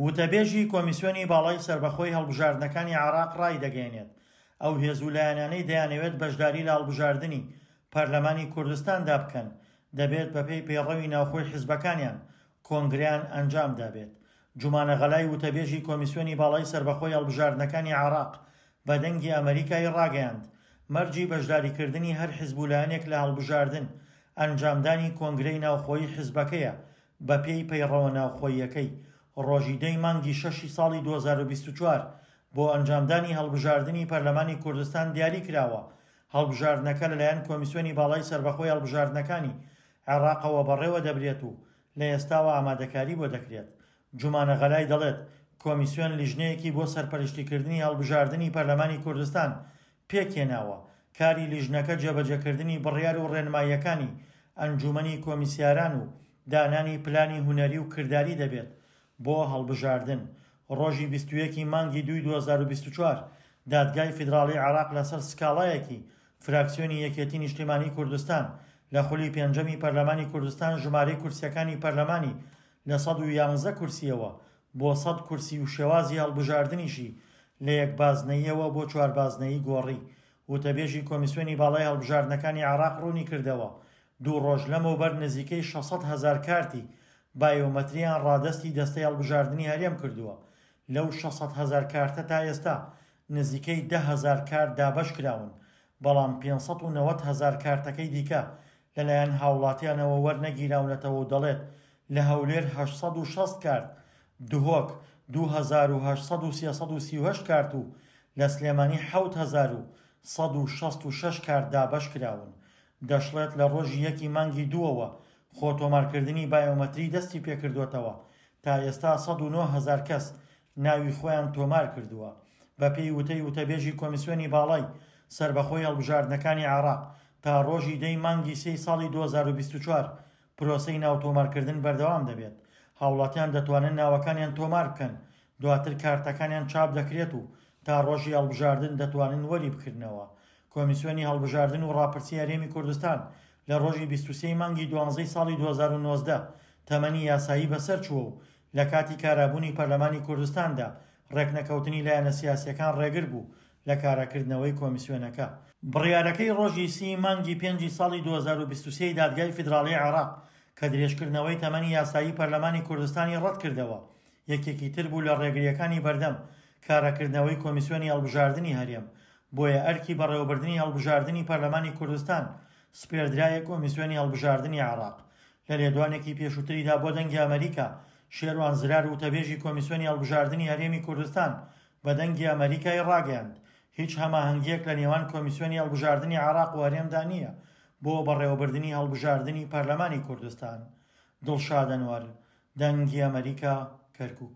وتەبێژی کۆمیسیۆنی باڵای سەربەخۆی هەڵبژاردنەکانی عێراق ڕایدەگەیەنێت، ئەو هێز و لایەنانەی دەیانەوێت بەشداری لە هەڵبژاردنی پەرلەمانی کوردستاندا بکەن، دەبێت بەپێی پەیڕەوی ناوخۆی حزبەکانیان کۆنگرەیان ئەنجامدابێت. جومانە غەلای وتەبێژی کۆمیسیۆنی باڵای سەربەخۆی هەڵبژاردنەکانی عێراق بە دەنگی ئەمەریکای ڕاگەیاند، مەرجی بەشداریکردنی هەر حزب و لایەنێک لە هەڵبژاردن، ئەنجامدانی کۆنگرەی ناوخۆیی حزبەکەیە بەپێی پەیڕەوە ناوخۆییەکەی، ڕۆژی دە ی مانگی شەشی ساڵی 2024 بۆ ئەنجامدانی هەڵبژاردنی پەرلەمانی کوردستان دیاری کراوە، هەڵبژاردنەکە لەلایەن کۆمیسیۆنی باڵای سەربەخۆی هەڵبژاردنەکانی عێراقەوە بەڕێوە دەبرێت و لە ئێستاوە ئامادەکاری بۆ دەکرێت. جومانە غەلای دەڵێت، کۆمیسیۆن لیژنەیەکی بۆ سەرپەرشتیکردنی هەڵبژاردنی پەرلەمانی کوردستان پێکهێناوە، کاری لیژنەکە جێبەجێکردنی بڕیار و ڕێنماییەکانی ئەنجومەنی کۆمیسیاران و دانانی پلانی هونەری و کرداری دەبێت بۆ هەڵبژاردن. ڕۆژی 21 ی مانگی دووی 2024 دادگای فیدراڵی عێراق لەسەر سکاڵایەکی فراکسیۆنی یەکێتی نیشتیمانی کوردستان لە خولی پێنجەمی پەرلەمانی کوردستان ژمارەی کورسیەکانی پەرلەمانی لە 111 کورسیەوە بۆ 100 کورسی و شێوازی هەڵبژاردنیشی لە یەک بازنەییەوە بۆ چوار بازنەیی گۆڕی. وتەبێژی کۆمیسیۆنی باڵای هەڵبژاردنەکانی عێراق ڕوونیکردەوە، دوو ڕۆژ لەمەوبەر نزیکەی 600 هەزار کارتی بایۆمەتریان ڕادەستی دەستەی هەڵبژاردنی هەرێم کردووە، لەو 600 هەزار کارتە تا ئێستا نزیکەی 10 هەزار کارت دابەشکراون، بەڵام 590 هەزار کارتەکەی دیکە لەلایەن هاوڵاتیانەوە وەرنەگیراونەتەوە و دەڵێت، لە هەولێر 860 کارت، دهۆک 2800 و 338 کارت و لە سلێمانی 7166 کارت دابەشکراون. دەشڵێت لە ڕۆژی یەکی مانگی دووەوە خۆتۆمارکردنی بایۆمەتری دەستی پێکردووەتەوە، تا ئێستا 109 هەزار کەس ناوی خۆیان تۆمار کردووە. بەپێی وتەی وتەبێژی کۆمیسیۆنی باڵای سەربەخۆی هەڵبژاردنەکانی عێراق، تا ڕۆژی دەی مانگی سێی ساڵی 2024 پرۆسەی ناوتۆمارکردن بەردەوام دەبێت، هاوڵاتیان دەتوانن ناوەکانیان تۆمار بکەن، دواتر کارتەکانیان چاپ دەکرێت و تا ڕۆژی هەڵبژاردن دەتوانن وەری بکرنەوە. کۆمیسیۆنی هەڵبژاردن و ڕاپرسی هەرێمی کوردستان لە ڕۆژی 23 ی مانگی دوانزەی ساڵی 2019 تەمەنی یاسایی بەسەر چووە و لە کاتی کارابوونی پەرلەمانی کوردستاندا ڕێکنەکەوتنی لایەنە سیاسییەکان ڕێگر بوو لە کاراکردنەوەی کۆمیسیۆنەکە. بڕیارەکەی ڕۆژی سی ی مانگی پێنجی ساڵی 2023 ی دادگای فیدراڵیی عێراق کە درێژکردنەوەی تەمەنی یاسایی پەرلەمانی کوردستانی ڕەتکردەوە، یەکێکی تر بوو لە ڕێگرییەکانی بەردەم کاراکردنەوەی کۆمیسیۆنی هەڵبژاردنی هەرێم، بۆیە ئەرکی بەڕێوەبردنی هەڵبژاردنی پەرلەمانی کوردستان سپێردرایە کۆمیسیۆنی هەڵبژاردنی عێراق. لە لێدوانێکی پێشووتریدا بۆ دەنگی ئەمەریکا، شێروان زرار وتەبێژی کۆمیسیۆنی هەڵبژاردنی هەرێمی کوردستان بە دەنگی ئەمەریکای ڕاگەیاند، هیچ هەماهەنگییەک لە نێوان کۆمیسیۆنی هەڵبژاردنی عێراق و هەرێمدا نییە بۆ بەڕێوەبردنی هەڵبژاردنی پەرلەمانی کوردستان. دڵشاد ئەنوەر، دەنگی ئەمەریکا، کەرکوک.